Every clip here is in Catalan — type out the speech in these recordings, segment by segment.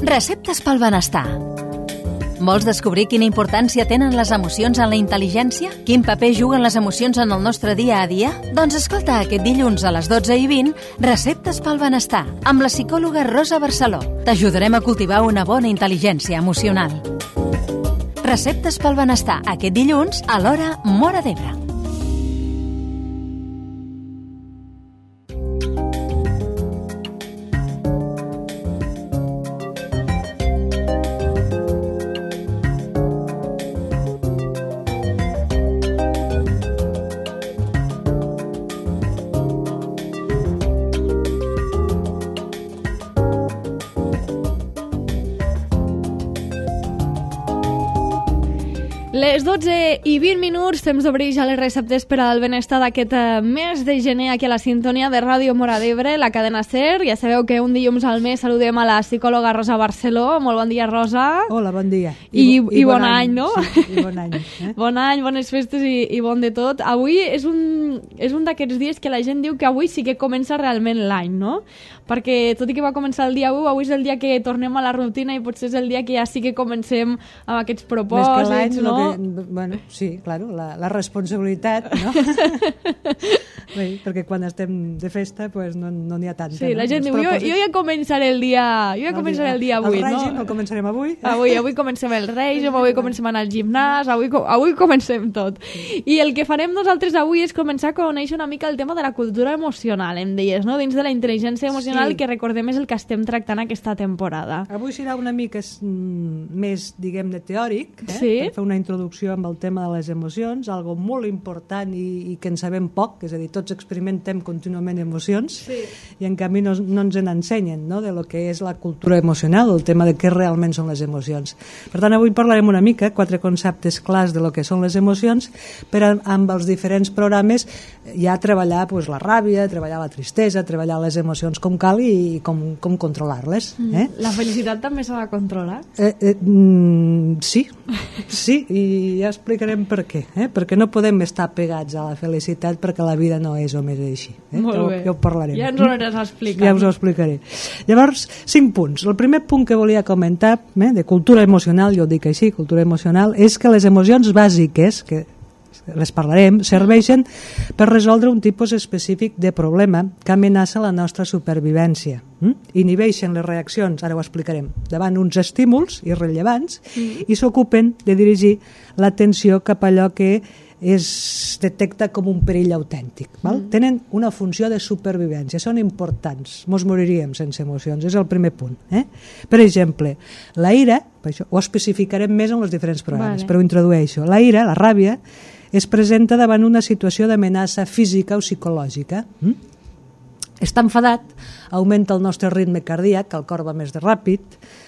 Receptes pel benestar. Vols descobrir quina importància tenen les emocions en la intel·ligència? Quin paper juguen les emocions en el nostre dia a dia? Doncs escolta aquest dilluns a les 12:20 Receptes pel benestar amb la psicòloga Rosa Barceló. T'ajudarem a cultivar una bona intel·ligència emocional. Receptes pel benestar aquest dilluns a l'hora Móra d'Ebre. Les 12:20, temps d'obrir ja les receptes per al benestar d'aquest mes de gener aquí a la sintonia de Ràdio Móra d'Ebre, la cadena SER. Ja sabeu que un dilluns al mes saludem a la psicòloga Rosa Barceló. Molt bon dia, Rosa. Hola, bon dia. I bon any, no? Sí, i bon any. Bon any, bones festes i bon de tot. Avui és un d'aquests dies que la gent diu que avui sí que comença realment l'any, no? Perquè tot i que va començar el dia 1, avui és el dia que tornem a la rutina i potser és el dia que ja sí que comencem amb aquests propòsits, no? Bueno, sí, claro, la responsabilitat, no? Bé, perquè quan estem de festa pues no n'hi ha tanta. Sí, la gent diu, jo ja començaré el dia avui, el no? règim el començarem avui. Avui comencem el règim, avui comencem a anar al gimnàs, avui comencem tot. I el que farem nosaltres avui és començar a conèixer una mica el tema de la cultura emocional, em deies, no? Dins de la intel·ligència emocional, sí, que recordem és el que estem tractant aquesta temporada. Avui serà una mica més, diguem-ne, teòric, sí, per fer una introducció amb el tema de les emocions, algo molt important i que en sabem poc, és a dir, tots experimentem contínuament emocions, sí, i en canvi no ens n'ensenyen, no?, de lo que és la cultura emocional, el tema de què realment són les emocions. Per tant, avui parlarem una mica, 4 conceptes clars de lo que són les emocions, per amb els diferents programes ja treballar pues, la ràbia, treballar la tristesa, treballar les emocions com cal i com controlar-les. La felicitat també s'ha de controlar? Sí, i ja explicarem per què. Perquè no podem estar pegats a la felicitat perquè la vida no és o més així. Molt bé. Ja ho parlarem. Ja ens ho aniràs a explicar. Ja us ho explicaré. Llavors, 5 punts. El primer punt que volia comentar, de cultura emocional, jo ho dic així, cultura emocional, és que les emocions bàsiques, que les parlarem, serveixen per resoldre un tipus específic de problema que amenaça la nostra supervivència. Inhibeixen les reaccions, ara ho explicarem, davant uns estímuls irrellevants i s'ocupen de dirigir l'atenció cap a allò que es detecta com un perill autèntic. Tenen una funció de supervivència, són importants, mos moriríem sense emocions, és el primer punt. Per exemple, la ira, ho especificarem més en els diferents programes, però ho introdueixo, la ira, la ràbia, es presenta davant una situació d'amenaça física o psicològica. Està enfadat, augmenta el nostre ritme cardíac, el cor va més ràpid,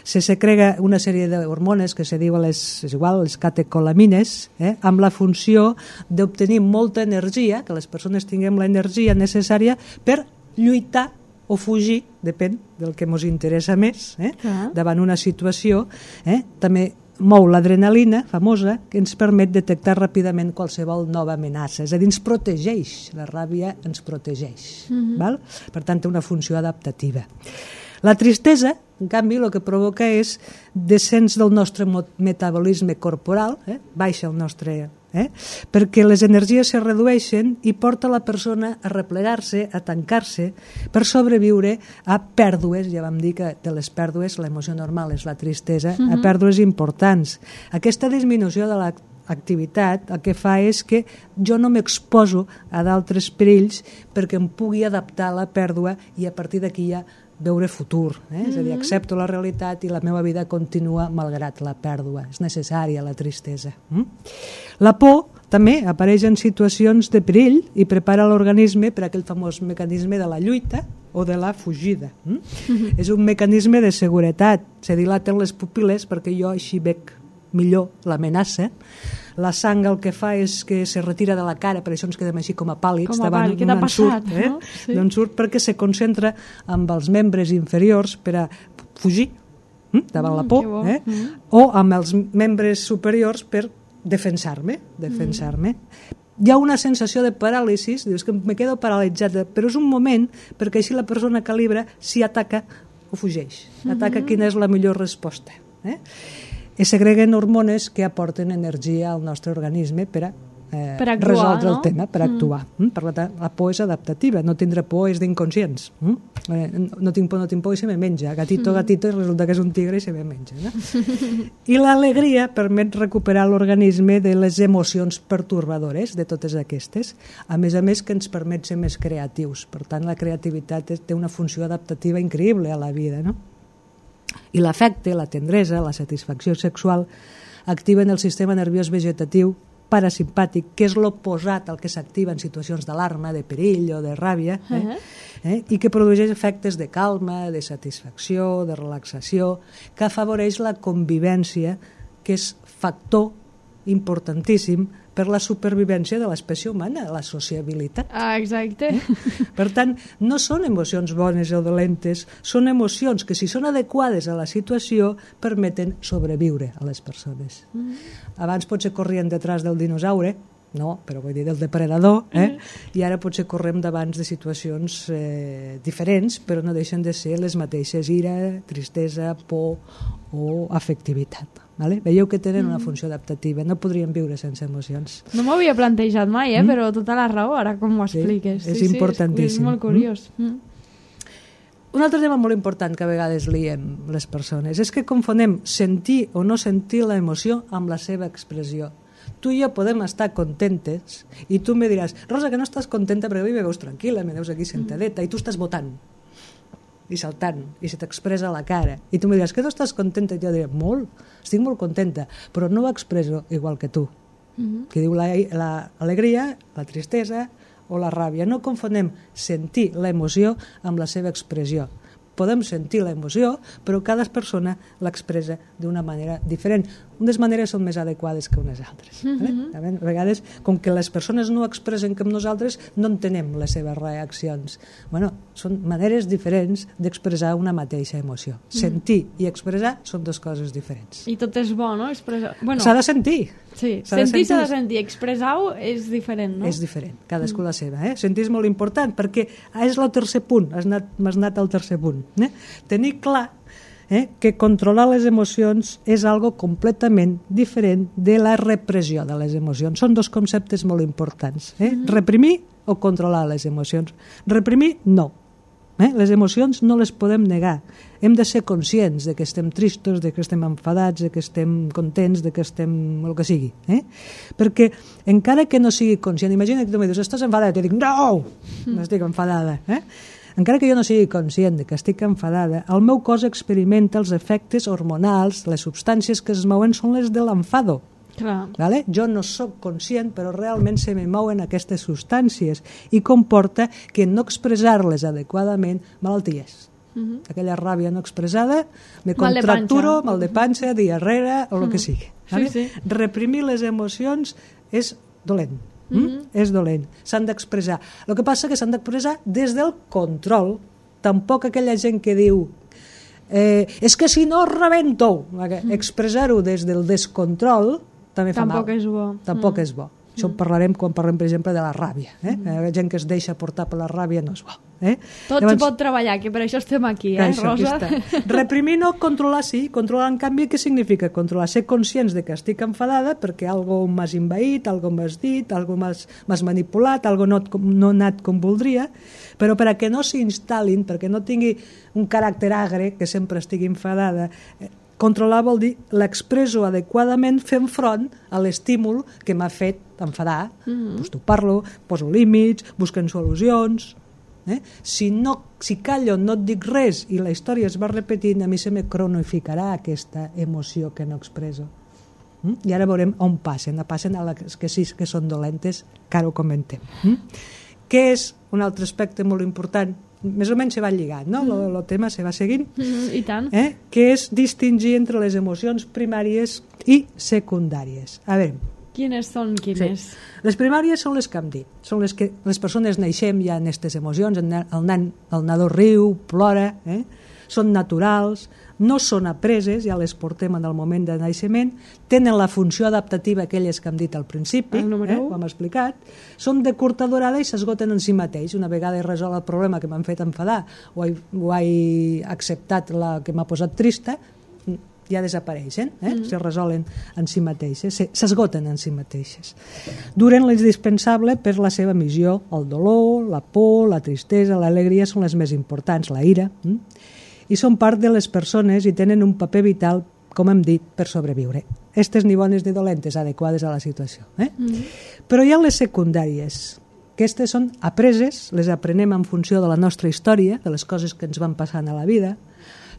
se secrega una sèrie d'hormones que se diuen les catecolamines, amb la funció d'obtenir molta energia, que les persones tinguem l'energia necessària per lluitar o fugir, depèn del que ens interessa més, davant una situació. També mou l'adrenalina famosa que ens permet detectar ràpidament qualsevol nova amenaça, és a dir, ens protegeix, la ràbia ens protegeix, per tant té una funció adaptativa. La tristesa, en canvi, el que provoca és descens del nostre metabolisme corporal, baixa el nostre perquè les energies se redueixen i porta la persona a replegar-se, a tancar-se per sobreviure a pèrdues, ja vam dir que de les pèrdues l'emoció normal és la tristesa, a pèrdues importants. Aquesta disminució de l'activitat el que fa és que jo no m'exposo a d'altres perills perquè em pugui adaptar a la pèrdua i a partir d'aquí ja veure futur, és a dir, accepto la realitat i la meva vida continua malgrat la pèrdua, és necessària la tristesa. La por també apareix en situacions de perill i prepara l'organisme per aquell famós mecanisme de la lluita o de la fugida. És un mecanisme de seguretat, se dilaten les pupil·les perquè jo així veig millor l'amenaça. La sang el que fa és que se retira de la cara, per això ens quedem així com a pàl·lids davant un ensurt, ensurt perquè se concentra amb els membres inferiors per a fugir davant la por, o amb els membres superiors per defensar-me. Hi ha una sensació de paràlisis, dius que me quedo paralitzada, però és un moment perquè així la persona calibra si ataca o fugeix. Ataca quina és la millor resposta. I segreguen hormones que aporten energia al nostre organisme per a actuar, resoldre no? el tema, per actuar. Per tant, la por és adaptativa, no tindre por és d'inconscients. No tinc por i se me menja. Gatito, i resulta que és un tigre i se me menja. No? I l'alegria permet recuperar l'organisme de les emocions pertorbadores, de totes aquestes, a més que ens permet ser més creatius. Per tant, la creativitat té una funció adaptativa increïble a la vida, no? I l'afecte, la tendresa, la satisfacció sexual activen el sistema nerviós vegetatiu parasimpàtic, que és l'oposat al que s'activa en situacions d'alarma, de perill o de ràbia, i que produeix efectes de calma, de satisfacció, de relaxació, que afavoreix la convivència, que és factor importantíssim per la supervivència de l'espècie humana, la sociabilitat. Exacte. Per tant, no són emocions bones o dolentes, són emocions que, si són adequades a la situació, permeten sobreviure a les persones. Abans potser corrien detrás del dinosaure, no, però vull dir del depredador, i ara potser correm davant de situacions diferents, però no deixen de ser les mateixes: ira, tristesa, por o afectivitat. Vale? Veieu que tenen una funció adaptativa, no podríem viure sense emocions. No m'ho havia plantejat mai, però tota la raó, ara com ho expliques. Sí, és importantíssim. És molt curiós. Un altre tema molt important que a vegades liem les persones és que confonem sentir o no sentir la emoció amb la seva expressió. Tu i jo podem estar contentes i tu me diràs: Rosa, que no estàs contenta perquè avui me veus tranquil·la, me veus aquí sentadeta, i tu estàs votant i saltant, i se t'expressa a la cara, i tu me diràs que tu estàs contenta, i jo diré: molt, estic molt contenta, però no ho expreso igual que tu, que diu l'alegria, la tristesa o la ràbia. No confonem sentir l'emoció amb la seva expressió. Podem sentir l'emoció, però cada persona l'expressa d'una manera diferent. Unes maneres són més adequades que unes altres. A vegades, com que les persones no expressen com nosaltres, no entenem les seves reaccions. Són maneres diferents d'expressar una mateixa emoció. Sentir i expressar són dues coses diferents. I tot és bo, no? S'ha de sentir. Sí, sentir s'ha de sentir. Expressar-ho és diferent, no? És diferent, cadascú la seva. Sentir és molt important, perquè és el tercer punt, m'has anat al tercer punt. Tenir clar que controlar les emocions és algo completament diferent de la repressió de les emocions. Són dos conceptes molt importants. Reprimir o controlar les emocions. Reprimir, no. Les emocions no les podem negar. Hem de ser conscients de que estem tristos, de que estem enfadats, de que estem contents, de que estem el que sigui. Perquè encara que no sigui conscient, imagina que tu em dius: estàs enfadada? I jo dic: no, no estic enfadada. Encara que jo no sigui conscient de que estic enfadada, el meu cos experimenta els efectes hormonals, les substàncies que es mouen són les de l'enfado. Vale? Jo no sóc conscient, però realment se me mouen aquestes substàncies i comporta que no expressar-les adequadament malalties. Aquella ràbia no expressada, me contracturo, mal de panxa, diarrea o el que sigui. Vale? Reprimir les emocions és dolent. És dolent, s'han d'expressar. El que passa que s'han d'expressar des del control. Tampoc aquella gent que diu és que si no rebento, expressar-ho des del descontrol també fa mal. Tampoc és bo. Això en parlarem quan parlem, per exemple, de la ràbia. La gent que es deixa portar per la ràbia no és bo. Tot s'hi pot treballar, que per això estem aquí, Rosa? Reprimir no, controlar sí. Controlar, en canvi, què significa controlar? Ser conscients de que estic enfadada perquè algo m'has invaït, algo m'has dit, algo m'has manipulat, algo no ha anat com voldria, però perquè no s'instal·lin, perquè no tingui un caràcter agre, que sempre estigui enfadada. Controlar vol dir l'expresso adequadament fent front a l'estímul que m'ha fet enfadar. T'ho parlo, poso límits, busquen solucions. Si callo, no et dic res i la història es va repetint, a mi se me cronificarà aquesta emoció que no expresso. I ara veurem on passen a les que sí que són dolentes, que ara ho comentem. Què és un altre aspecte molt important? Més o menys se va lligant, no? El tema se va seguint. I tant. Que és distingir entre les emocions primàries i secundàries. A veure. Quines són quines? Sí. Les primàries són les que hem dit. Són les que les persones naixem ja en aquestes emocions. El nadó riu, plora, són naturals, no són apreses, ja les portem en el moment de naixement, tenen la funció adaptativa aquelles que hem dit al principi, ho hem explicat, són de curta durada i s'esgoten en si mateix. Una vegada he resolt el problema que m'han fet enfadar o he acceptat la que m'ha posat trista, ja desapareixen, se resolen en si mateixes, s'esgoten en si mateixes. Duren l'indispensable per la seva missió. El dolor, la por, la tristesa, l'alegria són les més importants, la ira, i són part de les persones i tenen un paper vital, com hem dit, per sobreviure. Estes ni bones ni dolentes, adequades a la situació. Però hi ha les secundàries, que aquestes són apreses, les aprenem en funció de la nostra història, de les coses que ens van passant a la vida,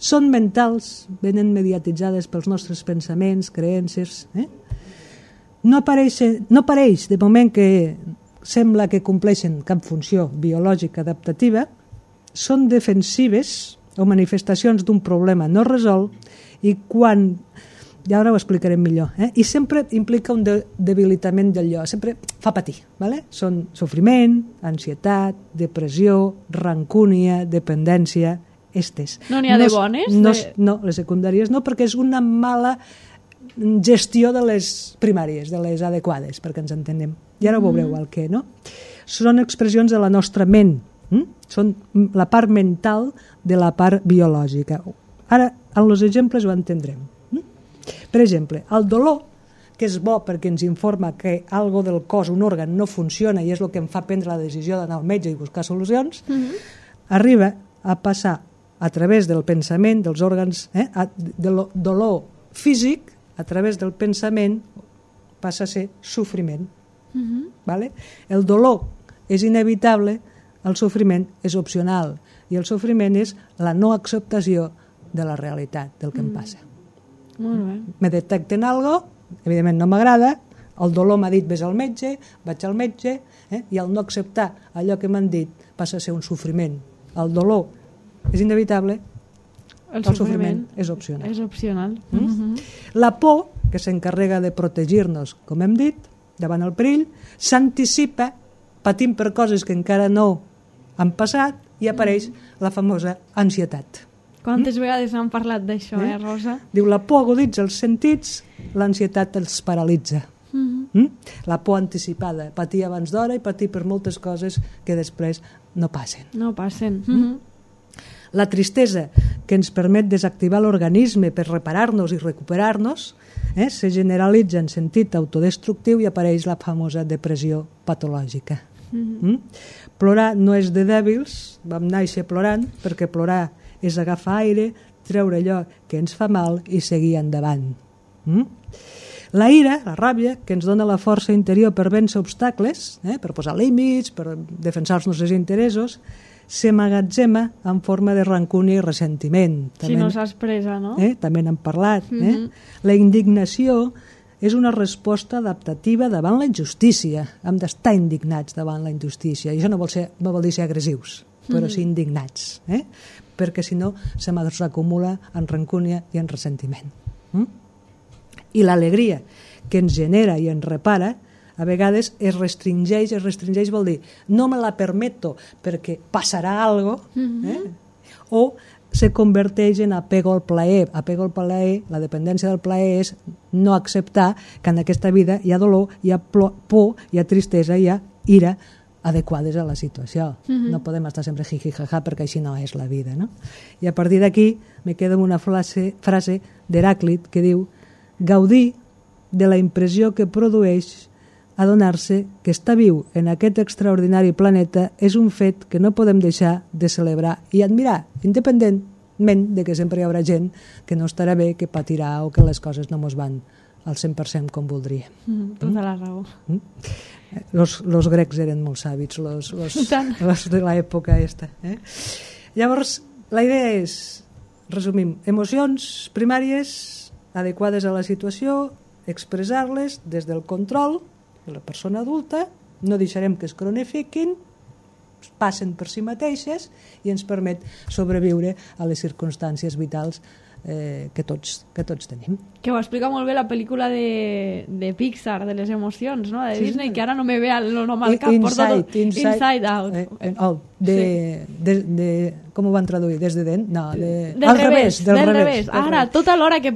són mentals, venen mediatitzades pels nostres pensaments, creences. No apareix de moment que sembla que compleixen cap funció biològica adaptativa, són defensives o manifestacions d'un problema no resolt i quan, ja ara ho explicarem millor, i sempre implica un debilitament del jo, sempre fa patir. Són sofriment, ansietat, depressió, rancúnia, dependència, estes. No n'hi ha de bones? No, les secundàries no, perquè és una mala gestió de les primàries, de les adequades, perquè ens entenem. I ara ho veureu el què, no? Són expressions de la nostra ment, són la part mental de la part biològica. Ara, en els exemples ho entendrem. Per exemple, el dolor, que és bo perquè ens informa que algo del cos, un òrgan, no funciona i és el que em fa prendre la decisió d'anar al metge i buscar solucions, arriba a passar a través del pensament, dels òrgans, del dolor físic, a través del pensament, passa a ser sofriment. El dolor és inevitable, el sofriment és opcional, i el sofriment és la no acceptació de la realitat, del que em passa. Me detecten algo, evidentment no m'agrada, el dolor m'ha dit vés al metge, vaig al metge, i el no acceptar allò que m'han dit passa a ser un sofriment. El dolor és inevitable, el sofriment és opcional. És opcional. La por, que s'encarrega de protegir-nos, com hem dit, davant el perill, s'anticipa patint per coses que encara no han passat i apareix la famosa ansietat. Quantes vegades han parlat d'això, Rosa? Diu, la por aguditza els sentits, l'ansietat els paralitza. La por anticipada, patir abans d'hora i patir per moltes coses que després no passen. No passen. La tristesa, que ens permet desactivar l'organisme per reparar-nos i recuperar-nos, se generalitza en sentit autodestructiu i apareix la famosa depressió patològica. Plorar no és de dèbils, vam néixer plorant, perquè plorar és agafar aire, treure allò que ens fa mal i seguir endavant. La ira, la ràbia, que ens dona la força interior per vèncer obstacles, per posar límits, per defensar els nostres interessos, s'emmagatzema en forma de rancúnia i ressentiment. Si no s'expressa, no? També n'hem parlat. La indignació és una resposta adaptativa davant la injustícia. Hem d'estar indignats davant la injustícia. I això no vol dir ser agressius, però sí indignats. Perquè si no se m'acumula en rancúnia i en ressentiment. I l'alegria que ens genera i ens repara a vegades es restringeix vol dir no me la permeto perquè passarà algo, o se converteix en apego al plaer. Apego al plaer, la dependència del plaer és no acceptar que en aquesta vida hi ha dolor, hi ha por, hi ha tristesa, hi ha ira adequades a la situació. No podem estar sempre jiji jaja perquè així no és la vida, no? I a partir d'aquí me quedo amb una frase d'Heràclit que diu: gaudir de la impressió que produeix adonar-se que estar viu en aquest extraordinari planeta és un fet que no podem deixar de celebrar i admirar, independentment de que sempre hi haurà gent que no estarà bé, que patirà o que les coses no mos van al 100% com voldríem. Tota la raó. Los grecs eren molt sàvits, los de l'època aquesta. Llavors, la idea és, resumim, emocions primàries adequades a la situació, expressar-les des del control de la persona adulta, no deixarem que es cronifiquin, passen per si mateixes i ens permet sobreviure a les circumstàncies vitals que tots tenim. Que ho explica molt bé la pel·lícula de Pixar, de les emocions, no? De Disney, que ara no me ve el nom al cap. Inside Out. Com ho van traduir? Des de dent? No, del revés. Ara, tota l'estona que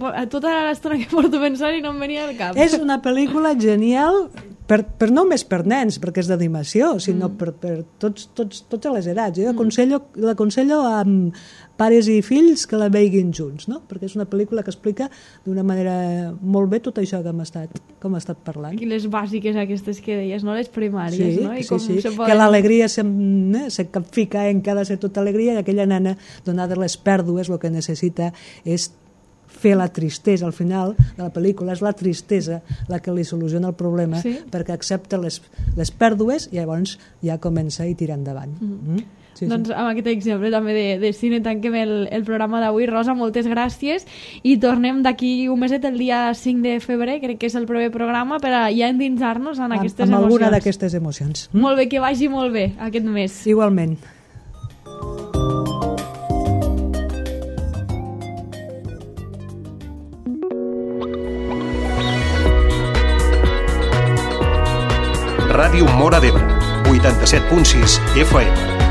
porto pensant i no em venia al cap. És una pel·lícula genial, no només per nens, perquè és d'animació, sinó per totes les edats. Jo l'aconsello a pares i fills que la veiguin junts, no? Perquè és una pel·lícula que explica d'una manera molt bé tot això que hem estat parlant. I les bàsiques aquestes que deies, no? Les primàries, no? I com sí. Que l'alegria se capfica en que ha de ser tota alegria i aquella nena, donades les pèrdues, el que necessita és fer la tristesa. Al final de la pel·lícula és la tristesa la que li soluciona el problema, perquè accepta les pèrdues i llavors ja comença a tirar endavant. Doncs amb aquest exemple també de cine tanquem el programa d'avui. Rosa, moltes gràcies i tornem d'aquí un meset, el dia 5 de febrer, crec que és el proper programa, per a ja endinsar-nos en aquestes emocions. Amb alguna d'aquestes emocions. Molt bé, que vagi molt bé aquest mes. Igualment. Ràdio Móra d'Ebre, 87.6 FM.